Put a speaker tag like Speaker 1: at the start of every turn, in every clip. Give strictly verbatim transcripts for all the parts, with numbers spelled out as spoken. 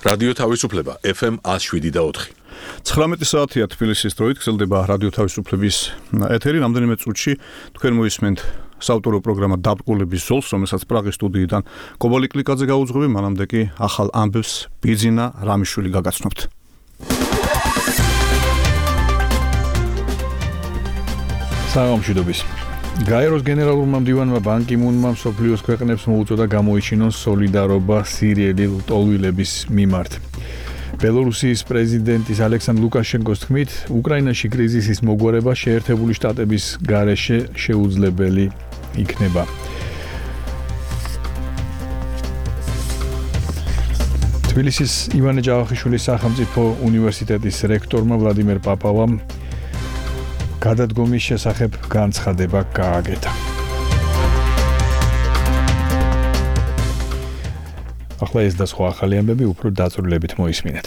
Speaker 1: რადიო თავისუფლება ეფ ემ one oh seven და four.
Speaker 2: ცხრამეტი საათია თბილისის დროით გრძელდება რადიო თავისუფლების ეთერი. რამდენიმე წუთში თქვენ მოისმენთ საავტორო პროგრამა დაბკულების ზოლს, რომელსაც პრაღის სტუდიიდან კობალი კლიკაძე გაუძღვები, მანამდე კი ახალ ამბებს ბიძინა რამიშვილი გაგაცნობთ.
Speaker 3: საღამოშიდობის. გაეროს გენერალურმა მდივანმა ბან კი მუნმა მსოფლიოს ქვეყნებს მოუწოდა გამოიჩინონ სოლიდარობა სირიელი ლტოლვილების მიმართ. ბელორუსიის პრეზიდენტის ალექსანდრ ლუკაშენკოს თქმით, უკრაინაში კრიზისის მოგვარება შეერთებული შტატების გარეშე შეუძლებელი იქნება. თბილისის ივანე ჯავახიშვილის სახელმწიფო უნივერსიტეტის რექტორმა ვლადიმერ პაპავამ გადადგომის შესახებ განცხადება გააკეთა. ახლა ეს და სხვა ახალი ამბები უფრო დაწვრილებით მოისმინეთ.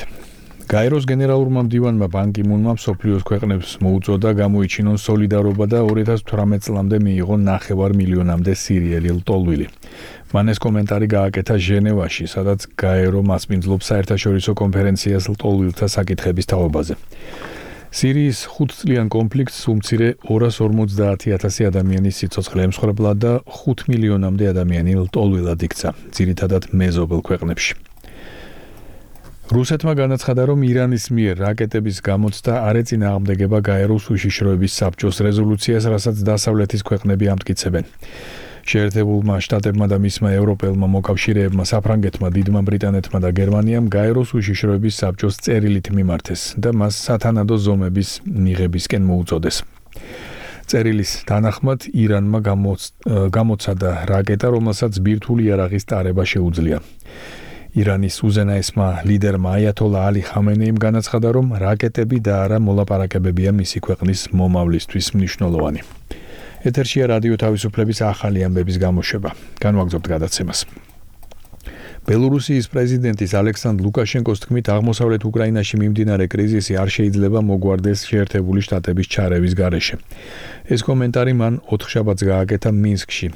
Speaker 3: გაეროს გენერალურმა მდივანმა ბან კი მუნმა მსოფლიოს ქვეყნებს მოუწოდა გამოიჩინონ სოლიდარობა და two thousand eighteen წლამდე მიიღონ ნახევარ მილიონამდე სირიელი ლტოლვილი. მან ეს კომენტარი გააკეთა ჟენევაში, სადაც გაერო მასპინძლობს საერთაშორისო კონფერენციას ლტოლვილთა საკითხების თაობაზე. სირიის ხუთწლიან კონფლიქტს უმცირე two hundred forty thousand ადამიანის სიცოცხლე ემსხვერპლა და five მილიონამდე ადამიანი ლტოლვილად იქცა, ძირითადად მეზობელ ქვეყნებში. რუსეთმა განაცხადა, რომ ირანის მიერ რაკეტების გამოცდა არ ეწინააღმდეგება გაეროს უშიშროების საბჭოს რეზოლუციას, რასაც დასავლეთის ქვეყნები ამტკიცებენ. შეერთებულმა შტატებმა და მისმა ევროპელმა მოკავშირეებმა საფრანგეთმა, დიდმა ბრიტანეთმა და გერმანიამ გაეროს უშიშროების საბჭოს წერილით მიმართეს და მას სათანადო ზომების მიღებისკენ მოუწოდეს. წერილის თანახმად ირანმა გამოცადა რაკეტა, რომელსაც ბირთვული იარაღის ტარება შეუძლია. ირანის უზენაესმა ლიდერმა აიათოლა ალი ხამენეიმ განაცხადა, რომ რაკეტები და არა მოლაპარაკებებია მისი ქვეყნის მომავლისთვის მნიშვნელოვანი. ეთერშია რადიო თავისუფლების ახალი ამბების გამოშვება. განვაგრძობთ გადაცემას. ბელორუსიის პრეზიდენტის ალექსანდრ ლუკაშენკოს თქმით, აღმოსავლეთ უკრაინაში მიმდინარე კრიზისი არ შეიძლება მოგვარდეს შეერთებული შტატების ჩარევის გარეშე. ეს კომენტარი მან ოთხშაბათს გააკეთა მინსკში.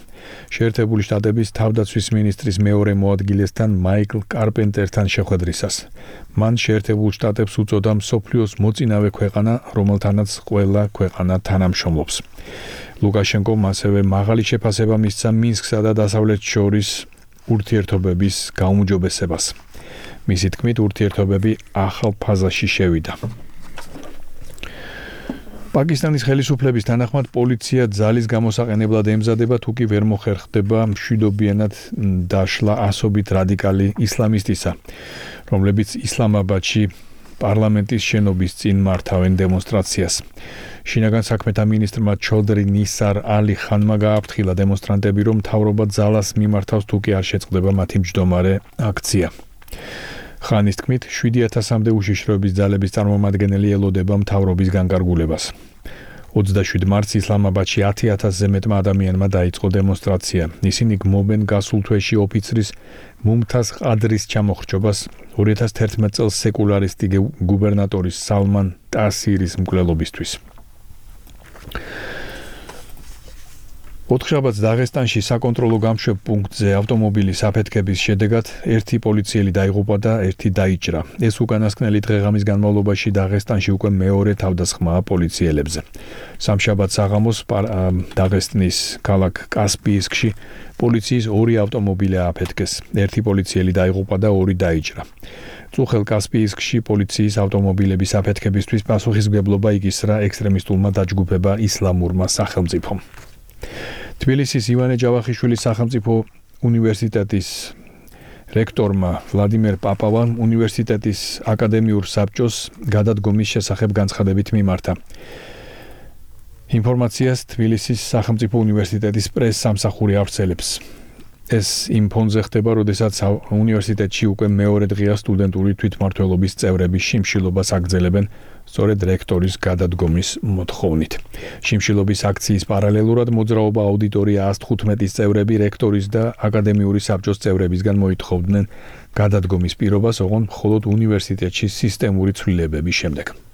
Speaker 3: შეერთებული შტატების თავდაცვის მინისტრის მეორე მოადგილესთან მაიკლ კარპენტერთან შეხვედრისას. მან შეერთებულ შტატებს უწოდა მსოფლიოს მოწინავე ქვეყანა, რომელთანაც ყველა ქვეყანა თანამშრომლობს. ლუკაშენკომ ასევე მაღალი შეფასება მისცა მინსკსა და დასავლეთს შორის ურთიერთობების გაუმჯობესებას. მისი თქმით, ურთიერთობები ახალ ფაზაში შევიდა. პაკისტანის ხელისუფლების თანახმად პოლიცია ძალის გამოსაყენებლად ემზადება, თუკი ვერ მოხერხდება მშვიდობიანად დაშლა ასობით რადიკალი ისლამისტისა, რომლებიც ისლამაბადში პარლამენტის შენობის წინ მართავენ დემონსტრაციას. შინაგან საქმეთა მინისტრმა ჩოდრი ნისარ ალი ხანმა გააფრთხილა დემონსტრანტები, რომ მთავრობა ძალას მიმართავს, თუკი არ შეწყდება მათი მჯდომარე აქცია. ხანის თქმით, seven thousand-მდე უშიშროების ძალების წარმომადგენელი ელოდება მთავრობის განკარგულებას. twenty-seven მარტს ისლამაბადში ten thousand-ზე მეტმა ადამიანმა დაიწყო დემონსტრაცია. ისინი გმობენ გასულ თვეში ოფიცრის მუმთაზ ყადრის ჩამოხრჩობას two thousand eleven წელს სეკულარისტი გუბერნატორის სალმან ტასირის მკვლელობისთვის. ოთხშაბათს დაღესტანში საკონტროლო გამშვებ პუნქტზე ავტომობილის აფეთქების შედეგად ერთი პოლიციელი დაიღუპა და ერთი დაიჭრა. ეს უკანასკნელი დღე-ღამის განმავლობაში დაღესტანში უკვე მეორე თავდასხმაა პოლიციელებზე. სამშაბათ საღამოს დაღესტნის ქალაქ კასპიისკში პოლიციის ორი ავტომობილი ააფეთქეს. ერთი პოლიციელი დაიღუპა და ორი დაიჭრა. წუხელ კასპიისკში პოლიციის ავტომობილების აფეთქებისთვის პასუხისმგებლობა იგისრა ექსტრემისტულმა დაჯგუფება ისლამურმა სახელმწიფომ. თბილისის ივანე ჯავახიშვილის სახელმწიფო უნივერსიტეტის რექტორმა ვლადიმერ პაპავამ უნივერსიტეტის აკადემიურ საბჭოს გადადგომის შესახებ განცხადებით მიმართა. ინფორმაციას თბილისის სახელმწიფო უნივერსიტეტის პრეს-სამსახური ავრცელებს. ეს იმ ფონზე ხდება, როდესაც უნივერსიტეტში უკვე მეორე დღეა სტუდენტური თვითმმართველობის წევრების შიმშილობას აგრძელებენ სწორედ რექტორის გადადგომის მოთხოვნით. შიმშილობის აქციის პარალელურად მოძრაობა აუდიტორია one hundred fifteen წევრები რექტორის და აკადემიური საბჭოს წევრებისგან მოითხოვდნენ გადადგომის პირობას, ოღონდ მხოლოდ უნივერსიტეტში სისტემური ცვლილებების შემდეგ.